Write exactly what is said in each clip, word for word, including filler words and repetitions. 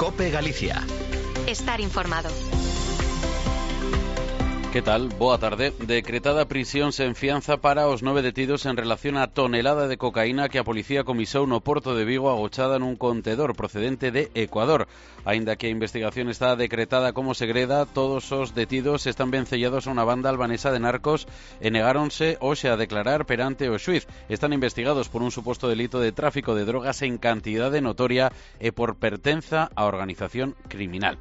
COPE Galicia. Estar informado. Que tal? Boa tarde. Decretada prisión sen fianza para os nove detidos en relación á tonelada de cocaína que a policía comisou no Porto de Vigo agochada nun contedor procedente de Ecuador. Aínda que a investigación está decretada como segreda, todos os detidos están vencellados a unha banda albanesa de narcos e negáronse hoxe a declarar perante o xuiz. Están investigados por un suposto delito de tráfico de drogas en cantidade notoria e por pertenza á organización criminal.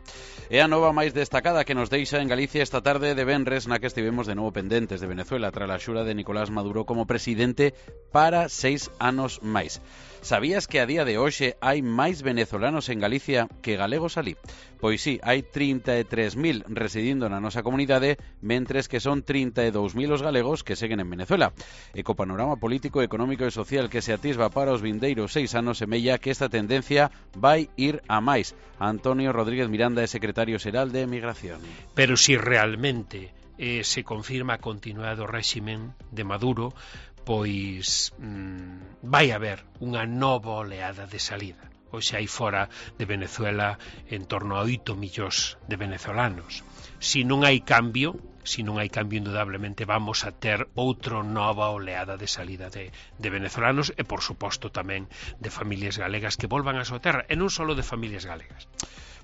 É a nova máis destacada que nos deixa en Galicia esta tarde de venres, na que estivemos de novo pendentes de Venezuela tras a xura de Nicolás Maduro como presidente para seis anos máis. Sabías que a día de hoxe hai máis venezolanos en Galicia que galegos alí? Pois sí, hai trinta e tres mil residindo na nosa comunidade, mentres que son trinta e dous mil os galegos que seguen en Venezuela. E co panorama político, económico e social que se atisba para os vindeiros seis anos, semella que esta tendencia vai ir a máis. Antonio Rodríguez Miranda é secretario xeral de Emigración. Pero si realmente eh, se confirma a continuidade do réximen de Maduro, pois mmm, vai haber unha nova oleada de salida. Hoxe hai fora de Venezuela en torno a oito millóns de venezolanos. Si non hai cambio, si non hai cambio, indudablemente vamos a ter outra nova oleada de salida de, de venezolanos e, por suposto, tamén de familias galegas que volvan a súa terra, e non só de familias galegas.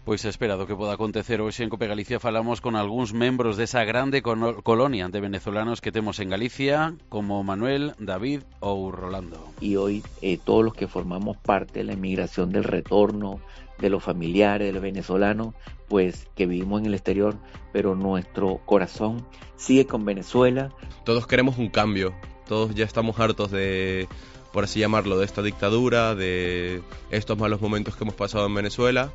Pois esperado que poda acontecer. Hoxe en COPE Galicia falamos con algúns membros desa grande colonia de venezolanos que temos en Galicia, como Manuel, David ou Rolando. Y hoy eh, todos los que formamos parte de la inmigración del retorno, de los familiares, de los venezolanos, pues que vivimos en el exterior, pero nuestro corazón sigue con Venezuela. Todos queremos un cambio, todos ya estamos hartos de, por así llamarlo, de esta dictadura, de estos malos momentos que hemos pasado en Venezuela.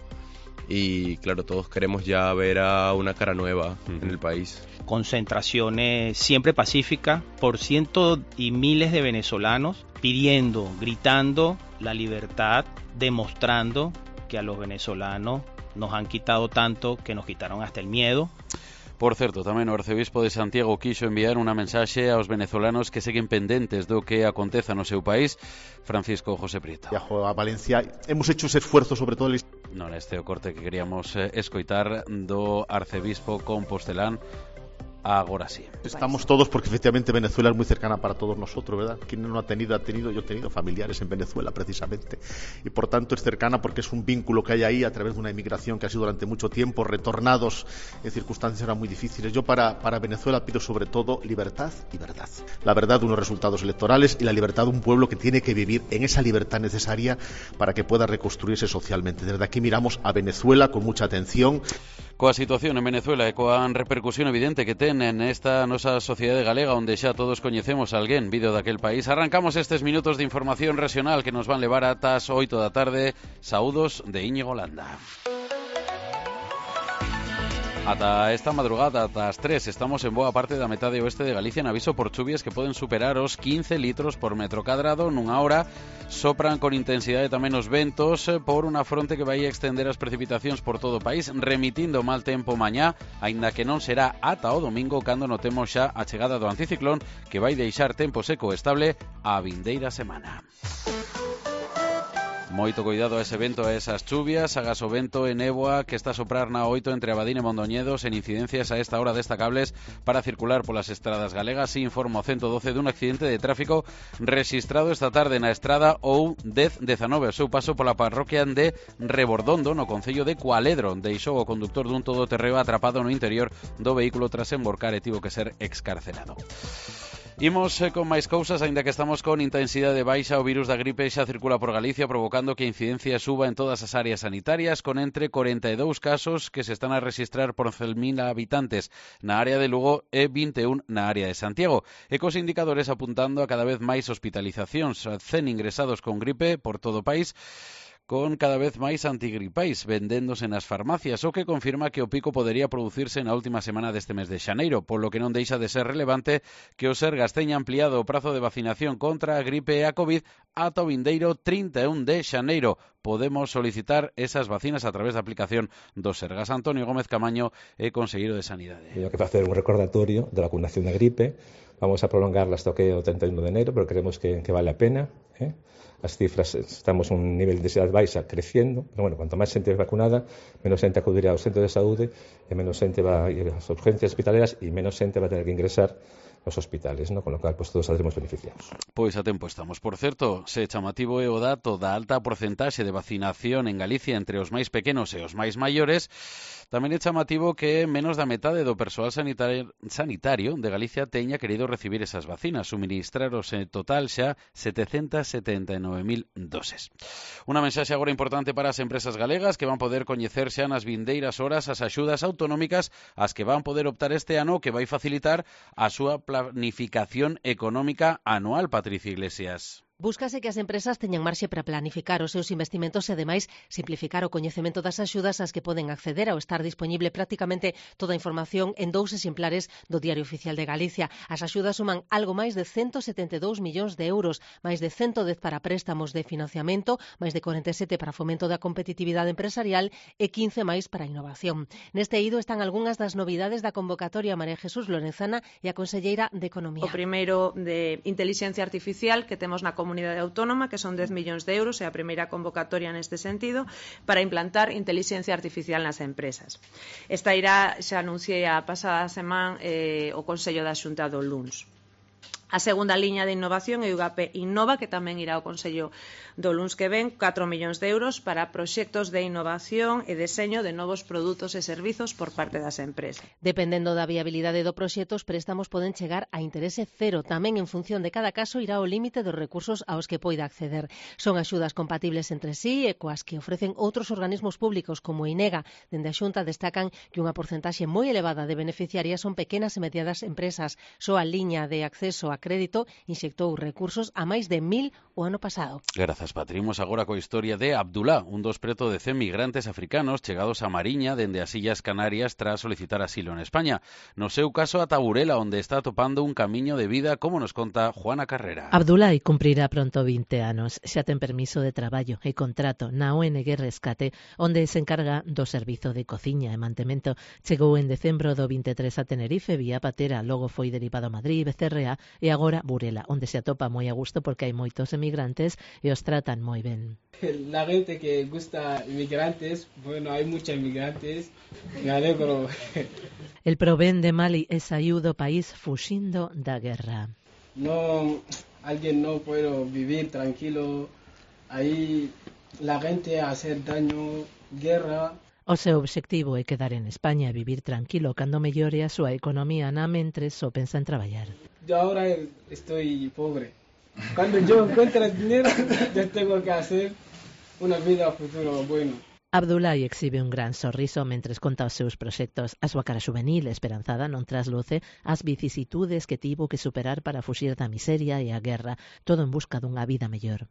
Y claro, todos queremos ya ver a una cara nueva uh-huh. en el país. Concentraciones siempre pacíficas por cientos y miles de venezolanos pidiendo, gritando la libertad, demostrando que a los venezolanos nos han quitado tanto que nos quitaron hasta el miedo. Por certo, tamén o arcebispo de Santiago quixo enviar unha mensaxe aos venezolanos que seguen pendentes do que aconteza no seu país. Francisco José Prieto. Viajo a Valencia, hemos hecho ese esfuerzo sobre todo el... Non, este é o corte que queríamos eh, escoitar do arcebispo compostelán. Agora sí. Estamos todos porque efectivamente Venezuela es muy cercana para todos nosotros, ¿verdad? ¿Quién no ha tenido? Ha tenido, yo he tenido familiares en Venezuela precisamente. Y por tanto es cercana porque es un vínculo que hay ahí a través de una inmigración que ha sido durante mucho tiempo, retornados en circunstancias ahora muy difíciles. Yo para, para Venezuela pido sobre todo libertad y verdad. La verdad de unos resultados electorales y la libertad de un pueblo que tiene que vivir en esa libertad necesaria para que pueda reconstruirse socialmente. Desde aquí miramos a Venezuela con mucha atención. Coa situación en Venezuela e coa repercusión evidente que ten en esta nosa sociedade galega, onde xa todos coñecemos a alguén vido daquel país, arrancamos estes minutos de información regional que nos van levar ata as oito da tarde. Saúdos de Íñigo Landa. Ata esta madrugada, ata as tres, estamos en boa parte da metade oeste de Galicia en aviso por chuvias que poden superar os quince litros por metro cadrado nunha hora. Sopran con intensidade tamén os ventos por unha fronte que vai extender as precipitacións por todo o país, remitindo mal tempo mañá, aínda que non será ata o domingo cando notemos xa a chegada do anticiclón que vai deixar tempo seco e estable a vindeira semana. Moito cuidado a ese vento, a esas chuvias, agas o vento e néboa que está a soprar na oito entre Abadín e Mondoñedos en incidencias a esta hora destacables para circular polas estradas galegas. Informa o ciento doce dun accidente de tráfico registrado esta tarde na estrada ou dez dezanove. O seu paso pola parroquia de Rebordondo, no concello de Cualedro. Deixou o conductor dun todoterreo atrapado no interior do vehículo tras emborcar e tivo que ser excarcerado. Imos eh, con máis cousas, aínda que estamos con intensidade baixa. O virus da gripe xa circula por Galicia, provocando que a incidencia suba en todas as áreas sanitarias, con entre corenta e dous casos que se están a rexistrar por cen mil habitantes na área de Lugo e vinte e un na área de Santiago. E cos indicadores apuntando a cada vez máis hospitalizacións, cen ingresados con gripe por todo o país, con cada vez máis antigripais vendéndose nas farmacias, o que confirma que o pico podería producirse na última semana deste mes de xaneiro, polo que non deixa de ser relevante que o Sergas teña ampliado o prazo de vacinación contra a gripe e a COVID ata o vindeiro trinta e un de xaneiro. Podemos solicitar esas vacinas a través da aplicación do Sergas. Antonio Gómez Camaño é conselleiro de Sanidade. Teño que facer un recordatorio da vacunación da gripe. Vamos a prolongarla hasta o que o treinta e un de enero, pero creemos que, que vale a pena, eh? as cifras, estamos un nivel de densidade baixa crecendo, pero bueno, cuanto máis xente vacunada, menos xente acudirá aos centros de saúde, e menos xente va a ir ás urgencias hospitalarias e menos xente va a tener que ingresar nos hospitales, ¿no? Con lo cual, pues todos saldremos beneficiados. Pois a tempo estamos. Por certo, se chamativo é o dato da alta porcentaxe de vacinación en Galicia entre os máis pequenos e os máis maiores, tamén é chamativo que menos da metade do persoal sanitario, sanitario de Galicia teña querido recibir esas vacinas, suministraros en total xa setecentas setenta e nove mil doses. Unha mensaxe agora importante para as empresas galegas que van poder coñecer xa nas vindeiras horas as axudas autonómicas as que van poder optar este ano, que vai facilitar a súa planificación económica anual, Patricia Iglesias. Búscase que as empresas teñan marxe para planificar os seus investimentos e, ademais, simplificar o coñecemento das axudas ás que poden acceder ao estar disponible prácticamente toda a información en dous exemplares do Diario Oficial de Galicia. As axudas suman algo máis de ciento setenta e dous millóns de euros, máis de ciento dez para préstamos de financiamento, máis de corenta e sete para fomento da competitividade empresarial e quince máis para innovación. Neste eido están algunhas das novidades da convocatoria María Jesús Lorenzana e a conselleira de Economía. O primeiro de Inteligencia Artificial que temos na Comunidade Autónoma, que son dez millóns de euros, é a primeira convocatoria neste sentido, para implantar inteligencia artificial nas empresas. Esta irá, xa anunciei a pasada semana eh, o Consello da Xunta do luns. A segunda liña de innovación é o U G A P Innova, que tamén irá ao Consello do luns que ven, catro millóns de euros para proxectos de innovación e deseño de novos produtos e servizos por parte das empresas. Dependendo da viabilidade do proxecto, os préstamos poden chegar a interese cero. Tamén en función de cada caso irá o límite dos recursos aos que poida acceder. Son axudas compatibles entre sí e coas que ofrecen outros organismos públicos como INEGA. Dende a Xunta destacan que unha porcentaxe moi elevada de beneficiarias son pequenas e medianas empresas. Só a liña de acceso a crédito inxectou recursos a máis de mil o ano pasado. Grazas, Patrimos agora coa historia de Abdullah, un dos preto de cen migrantes africanos chegados a Mariña dende as Illas Canarias tras solicitar asilo en España. No seu caso, a Taburela, onde está topando un camiño de vida, como nos conta Juana Carrera. Abdullah cumprirá pronto vinte anos. Xa ten permiso de traballo e contrato na O N G Rescate, onde se encarga do servizo de cociña e mantemento. Chegou en decembro do vinte e tres a Tenerife vía patera, logo foi derivado a Madrid, Becerrea e agora Burela, onde se atopa moi a gusto porque hai moitos emigrantes e os tratan moi ben. La gente que gusta inmigrantes, bueno, hay muchos inmigrantes, me alegro. El provén de Mali é saiu do país fuxindo da guerra. No, alguien no puede vivir tranquilo, ahí la gente hacer daño, guerra. O seu obxectivo é quedar en España e vivir tranquilo cando mellore a súa economía, na mentre só pensa en traballar. Yo ahora estoy pobre. Cuando yo encuentre dinero, yo tengo que hacer una vida futuro bueno. Abdullah exhibe un gran sorriso mentres conta os seus proxectos. A súa cara juvenil esperanzada non trasluce as vicisitudes que tivo que superar para fuxir da miseria e a guerra, todo en busca dunha vida mellor.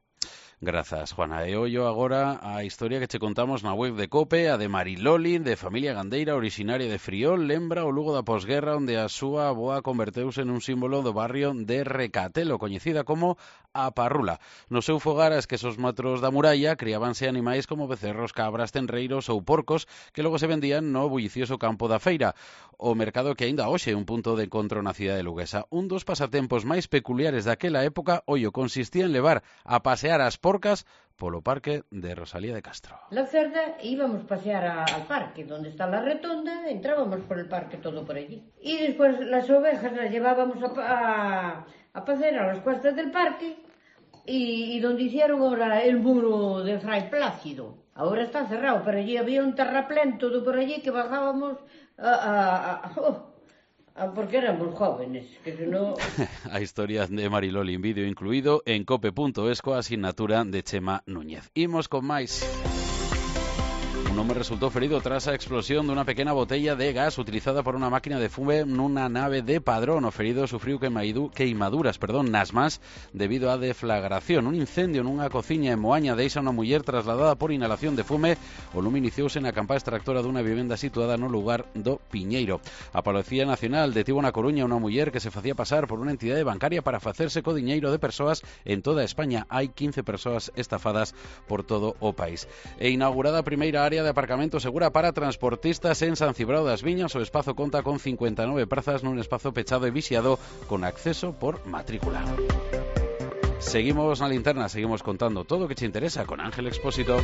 Grazas, Juana. E ollo agora a historia que che contamos na web de COPE, a de Mariloli, de familia gandeira originaria de Friol, lembra o Lugo da posguerra, onde a súa avoa converteuse en un símbolo do barrio de Recatelo, coñecida como a Parrula. No seu fogar, a esquesos metros da muralla, criábanse animais como becerros, cabras, tenreiros ou porcos, que logo se vendían no bullicioso campo da feira, o mercado que aínda hoxe é un punto de encontro na cidade luguesa. Un dos pasatempos máis peculiares daquela época, ollo, consistía en levar a pasear as porcas polo parque de Rosalía de Castro. La cerda íbamos a pasear a, al parque, donde está la rotonda, entrábamos por el parque todo por allí. Y después las ovejas las llevábamos a, a, a pasear a las cuestas del parque y, y donde hicieron ahora el muro de Fray Plácido. Ahora está cerrado, pero allí había un terraplén todo por allí que bajábamos a... a, a oh, porque éramos jóvenes, que si no... A historia de Mariloli en vídeo incluído en cope punto es coa asignatura de Chema Núñez. Imos con máis. Un home resultou ferido tras a explosión dunha pequena botella de gas utilizada por unha máquina de fume nunha nave de Padrón. O ferido sufriu queimaduras perdón, nas mans debido á deflagración. Un incendio nunha cociña en Moaña deixa unha muller trasladada por inhalación de fume. O lume iniciouse na campa extractora dunha vivenda situada no lugar do Piñeiro. A Policía Nacional detivo na Coruña unha muller que se facía pasar por unha entidade bancaria para facerse co diñeiro de persoas en toda España. Hai quince persoas estafadas por todo o país. E inaugurada a primeira área de aparcamento segura para transportistas en San Cibrao das Viñas. O espazo conta con cincuenta e nove prazas nun espazo pechado e vixiado con acceso por matrícula. Seguimos na linterna, seguimos contando todo o que che interesa con Ángel Expósito.